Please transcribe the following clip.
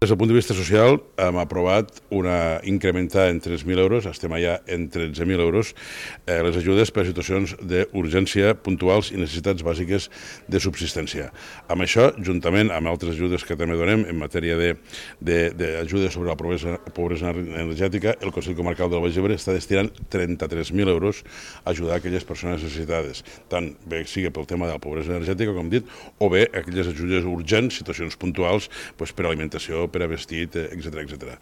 Des del punt de vista social, hem aprovat incrementar en 3.000 euros, estem allà en 13.000 euros, les ajudes per a situacions d'urgència puntuals i necessitats bàsiques de subsistència. Amb això, juntament amb altres ajudes que també donem en matèria d'ajudes sobre la pobresa energètica, el Consell Comarcal del Baix Ebre està destinant 33.000 euros a ajudar aquelles persones necessitades, tant bé sigui pel tema de la pobresa energètica, com dit, o bé aquelles ajudes urgents, situacions puntuals per alimentació, per a vestit, etc.